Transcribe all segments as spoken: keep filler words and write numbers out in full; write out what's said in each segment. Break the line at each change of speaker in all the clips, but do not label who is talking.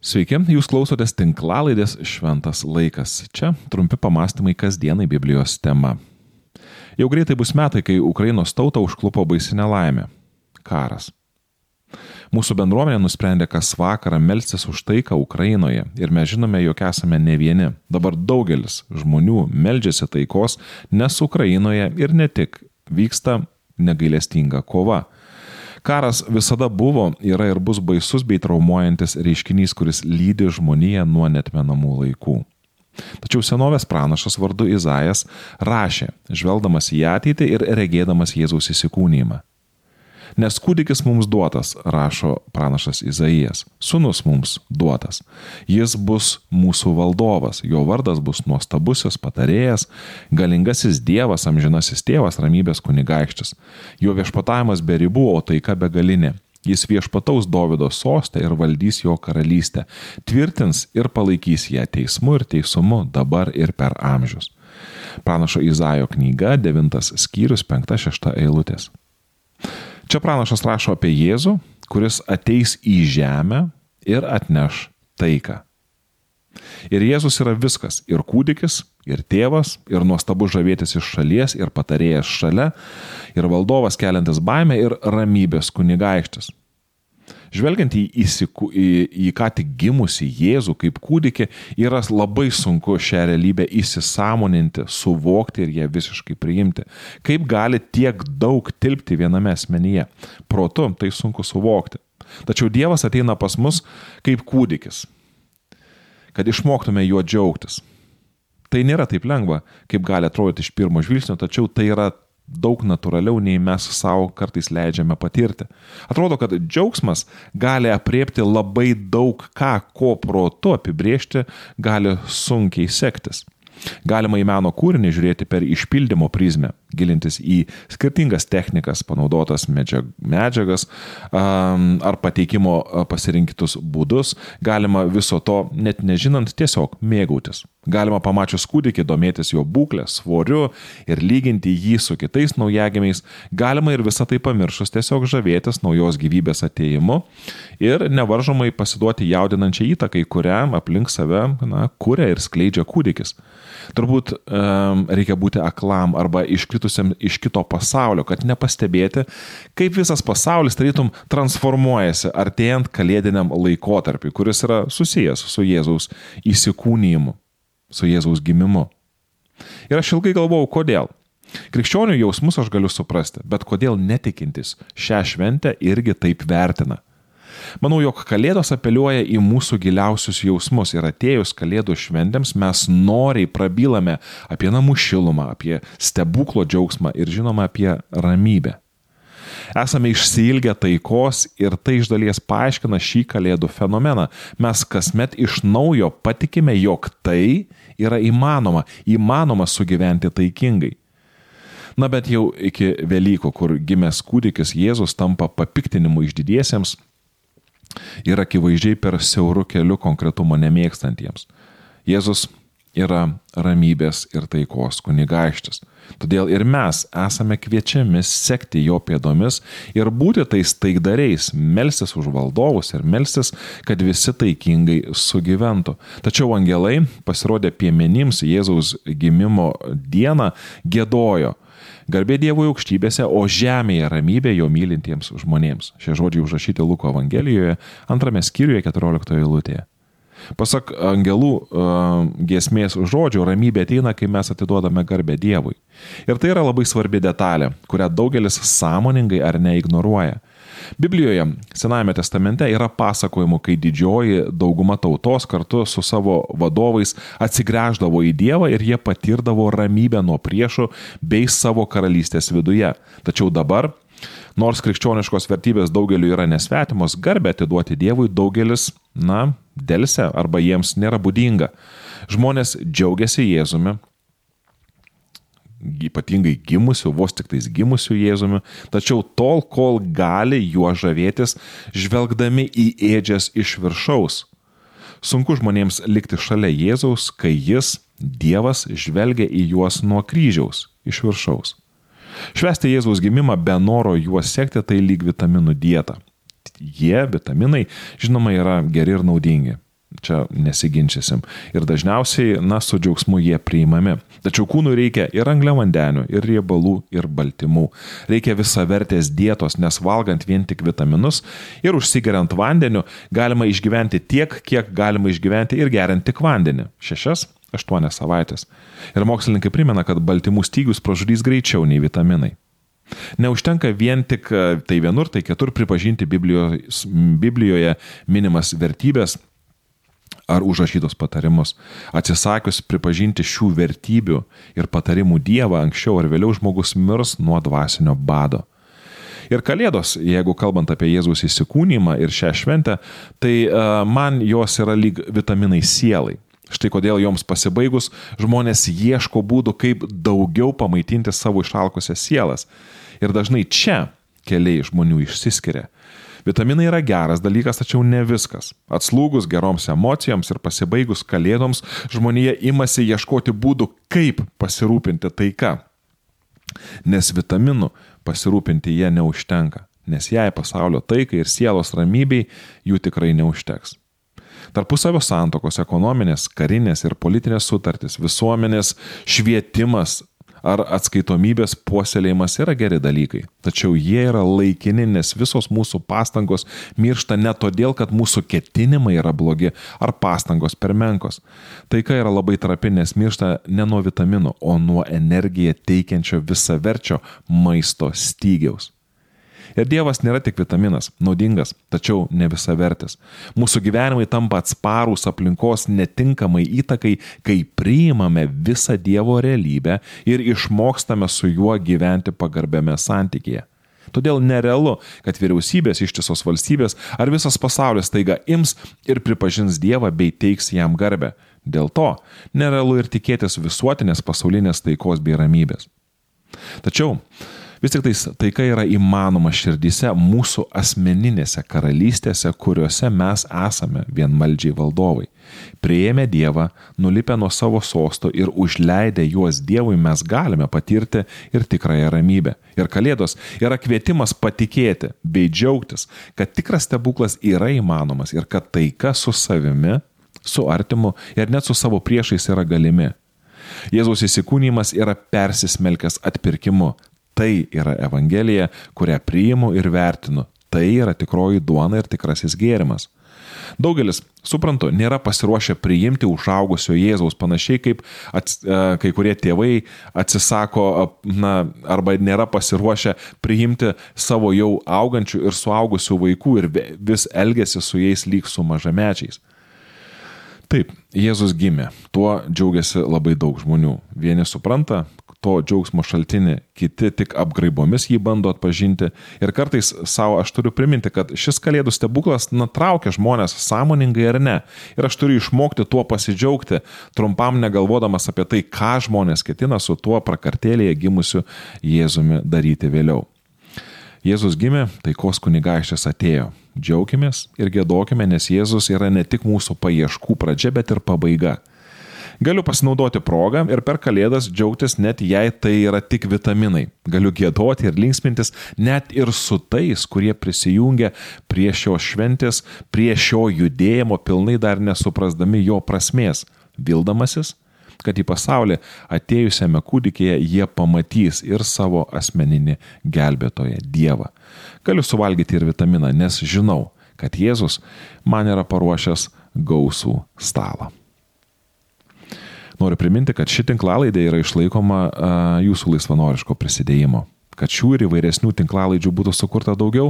Sveiki, jūs klausotės tinklalaidės Šventas laikas. Čia trumpi pamastymai kasdienai Biblijos tema. Jau greitai bus metai, kai Ukrainos tautą užklupo baisi nelaimė – karas. Mūsų bendruomenė nusprendė kas vakarą melstis už taiką Ukrainoje ir mes žinome, jog esame ne vieni. Dabar daugelis žmonių meldžiasi taikos, nes Ukrainoje ir ne tik vyksta negailestinga kova. Karas visada buvo, yra ir bus baisus bei traumuojantis reiškinys, kuris lydi žmoniją nuo neatmenamų laikų. Tačiau senovės pranašas vardu Izaijas rašė, žvelgdamas į ateitį ir regėdamas Jėzaus įsikūnijimą. Nes kūdikis mums duotas, rašo pranašas Izaijas, sūnus mums duotas. Jis bus mūsų valdovas, jo vardas bus nuostabusis patarėjas, galingasis Dievas, amžinasis tėvas, ramybės kunigaikštis. Jo viešpatavimas be ribų, o taika begalinė. Jis viešpataus Dovydo sostą ir valdys jo karalystę, tvirtins ir palaikys ją teismu ir teisumu dabar ir per amžius. Pranašo Izaijo knyga, devintas skyrius, penkta šešta eilutės. Čia pranašas rašo apie Jėzų, kuris ateis į žemę ir atneš taiką. Ir Jėzus yra viskas, ir kūdikis, ir tėvas, ir nuostabus žavėtis iš šalies, ir patarėjas šalia, ir valdovas keliantis baimę, ir ramybės kunigaikštis. Žvelgiant į, įsiku, į, į ką tik gimusi Jėzų kaip kūdikį, yra labai sunku šią realybę įsisąmoninti, suvokti ir ją visiškai priimti. Kaip gali tiek daug tilpti viename asmenyje? Protu tai sunku suvokti. Tačiau Dievas ateina pas mus kaip kūdikis, kad išmoktume juo džiaugtis. Tai nėra taip lengva, kaip gali atrodyti iš pirmo žvilgsnio, tačiau tai yra daug natūraliau, nei mes savo kartais leidžiame patirti. Atrodo, kad džiaugsmas gali apriepti labai daug ką, ko protu apibrėžti gali sunkiai sektis. Galima į meno kūrinį žiūrėti per išpildymo prizmę, gilintis į skirtingas technikas, panaudotas medžiagas ar pateikimo pasirinktus būdus. Galima viso to net nežinant tiesiog mėgautis. Galima pamačius kūdikį domėtis jo būklę, svoriu ir lyginti jį su kitais naujagimiais. Galima ir visą tai pamiršus tiesiog žavėtis naujos gyvybės atėjimu ir nevaržomai pasiduoti jaudinančiai įtakai, kurią aplink save na, kuria ir skleidžia kūdikis. Turbūt um, reikia būti aklam arba iškritusiam iš kito pasaulio, kad nepastebėti, kaip visas pasaulis tarytum transformuojasi artėjant kalėdiniam laikotarpiui, kuris yra susijęs su Jėzaus įsikūnijimu, su Jėzaus gimimu. Ir aš ilgai galvojau, kodėl. Krikščionių jausmus aš galiu suprasti, bet kodėl netikintis šią šventę irgi taip vertina. Manau, jog kalėdos apeliuoja į mūsų giliausius jausmus ir atėjus kalėdų šventėms mes noriai prabylame apie namų šilumą, apie stebuklo džiaugsmą ir žinoma apie ramybę. Esame išsiilgę taikos ir tai iš dalies paaiškina šį kalėdų fenomeną. Mes kasmet iš naujo patikime, jog tai yra įmanoma, įmanoma sugyventi taikingai. Na bet jau iki Velykų, kur gimęs kūdikis Jėzus tampa papiktinimu išdidiesiems, ir akivaizdžiai per siaurų kelių konkretumo nemėgstantiems. Jėzus yra ramybės ir taikos kunigaikštis. Todėl ir mes esame kviečiami sekti jo pėdomis ir būti tais taikdariais, melstis už valdovus ir melstis, kad visi taikingai sugyventų. Tačiau angelai pasirodė piemenims Jėzaus gimimo dieną giedojo. Garbė Dievui aukštybėse, o žemėje ramybė jo mylintiems žmonėms. Šie žodžiai užrašyti Luko Evangelijoje, antrame skyriuje, keturioliktoje eilutėje. Pasak angelų uh, giesmės žodžių, ramybė ateina, kai mes atiduodame garbę Dievui. Ir tai yra labai svarbi detalė, kurią daugelis sąmoningai ar neignoruoja. Biblijoje, Senajame testamente, yra pasakojimų, kai didžioji dauguma tautos kartu su savo vadovais atsigręždavo į Dievą ir jie patirdavo ramybę nuo priešų bei savo karalystės viduje. Tačiau dabar, nors krikščioniškos vertybės daugeliu yra nesvetimos, garbę atiduoti Dievui daugelis, na, delsia arba jiems nėra būdinga. Žmonės džiaugiasi Jėzumi, ypatingai gimusių, vos tik tais gimusių Jėzumi, tačiau tol, kol gali juo žavėtis, žvelgdami į ėdžias iš viršaus. Sunku žmonėms likti šalia Jėzaus, kai jis, Dievas, žvelgia į juos nuo kryžiaus, iš viršaus. Švęsti Jėzaus gimimą be noro juos sekti, tai lyg vitaminų dieta. Jie, vitaminai, žinoma, yra geri ir naudingi. čia nesiginčysim. Ir dažniausiai, na, su džiaugsmu jie priimami. Tačiau kūnui reikia ir angliavandenių, ir riebalų, ir baltymų. Reikia visavertės dietos, nes valgant vien tik vitaminus ir užsigeriant vandeniu galima išgyventi tiek, kiek galima išgyventi ir geriant tik vandenį. Šešias, aštuonias savaitės. Ir mokslininkai primena, kad baltymų stygius pražudys greičiau nei vitaminai. Neužtenka vien tik tai vienur, tai kitur pripažinti Biblijos, Biblijoje minimas vertybės ar užrašytos patarimus. Atsisakius pripažinti šių vertybių ir patarimų Dievą, anksčiau ar vėliau žmogus mirs nuo dvasinio bado. Ir Kalėdos, jeigu kalbant apie Jėzaus įsikūnymą ir šią šventę, tai uh, man jos yra lyg vitaminai sielai. Štai kodėl joms pasibaigus žmonės ieško būdų, kaip daugiau pamaitinti savo išalkusias sielas. Ir dažnai čia keliai žmonių išsiskiria. Vitaminai yra geras dalykas, tačiau ne viskas. Atslūgus geroms emocijoms ir pasibaigus Kalėdoms, žmonija imasi ieškoti būdų, kaip pasirūpinti taika. Nes vitaminų pasirūpinti jie neužtenka, nes jei pasaulio taikai ir sielos ramybei jų tikrai neužteks. Tarpusavio santokos, ekonominės, karinės ir politinės sutartys, visuomenės švietimas ar atskaitomybės puoselėjimas yra geri dalykai. Tačiau jie yra laikini, nes visos mūsų pastangos miršta ne todėl, kad mūsų ketinimai yra blogi ar pastangos per menkos. Taika yra labai trapi, nes miršta ne nuo vitaminų, o nuo energiją teikiančio visaverčio maisto stygiaus. Ir Dievas nėra tik vitaminas, naudingas, tačiau ne visavertis. Mūsų gyvenimai tampa atsparūs aplinkos netinkamai įtakai, kai priimame visą Dievo realybę ir išmokstame su juo gyventi pagarbiame santykėje. Todėl nerealu, kad vyriausybės, ištisos valstybės ar visas pasaulis staiga ims ir pripažins Dievą bei teiks jam garbę. Dėl to nerealu ir tikėtis visuotinės pasaulinės taikos bei ramybės. Tačiau vis tik tais taika yra įmanoma širdyse mūsų asmeninėse karalystėse, kuriuose mes esame vienvaldžiai valdovai. Priėmę Dievą, nulipę nuo savo sosto ir užleidę juos Dievui, mes galime patirti ir tikrąją ramybę. Ir Kalėdos yra kvietimas patikėti bei džiaugtis, kad tikras stebuklas yra įmanomas ir kad taika su savimi, su artimu ir net su savo priešais yra galimi. Jėzaus įsikūnymas yra persismelkęs atpirkimu. Tai yra Evangelija, kurią priimu ir vertinu. Tai yra tikroji duona ir tikrasis gėrimas. Daugelis, suprantu, nėra pasiruošę priimti užaugusio Jėzaus, panašiai kaip ats, kai kurie tėvai atsisako na, arba nėra pasiruošę priimti savo jau augančių ir suaugusių vaikų ir vis elgiasi su jais lyg su mažamečiais. Taip, Jėzus gimė, tuo džiaugiasi labai daug žmonių. Vieni supranta to džiaugsmo šaltinį, kiti tik apgraibomis jį bando atpažinti. Ir kartais savo aš turiu priminti, kad šis Kalėdų stebuklas nutraukia žmonės sąmoningai ar ne. Ir aš turiu išmokti tuo pasidžiaugti, trumpam negalvodamas apie tai, ką žmonės ketina su tuo prakartėlėje gimusiu Jėzumi daryti vėliau. Jėzus gimė, taikos kunigaikštis atėjo. Džiaukimės ir giedokime, nes Jėzus yra ne tik mūsų paieškų pradžia, bet ir pabaiga. Galiu pasinaudoti progą ir per Kalėdas džiaugtis, net jei tai yra tik vitaminai. Galiu giedoti ir linksmintis net ir su tais, kurie prisijungia prie šios šventės, prie šio judėjimo, pilnai dar nesuprasdami jo prasmės, vildamasis, kad į pasaulį atėjusiame kūdikėje jie pamatys ir savo asmeninį gelbėtoją Dievą. Galiu suvalgyti ir vitaminą, nes žinau, kad Jėzus man yra paruošęs gausų stalą. Noriu priminti, kad ši tinklalaidė yra išlaikoma a, jūsų laisvanoriško prisidėjimo. Kad šių ir įvairesnių tinklalaidžių būtų sukurta daugiau,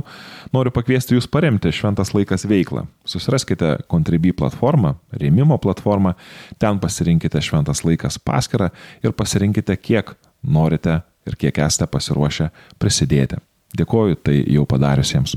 noriu pakviesti jūs paremti Šventas laikas veiklą. Susiraskite Contribui platformą, rėmimo platformą, ten pasirinkite Šventas laikas paskyrą ir pasirinkite, kiek norite ir kiek esate pasiruošę prisidėti. Dėkoju tai jau padariusiems.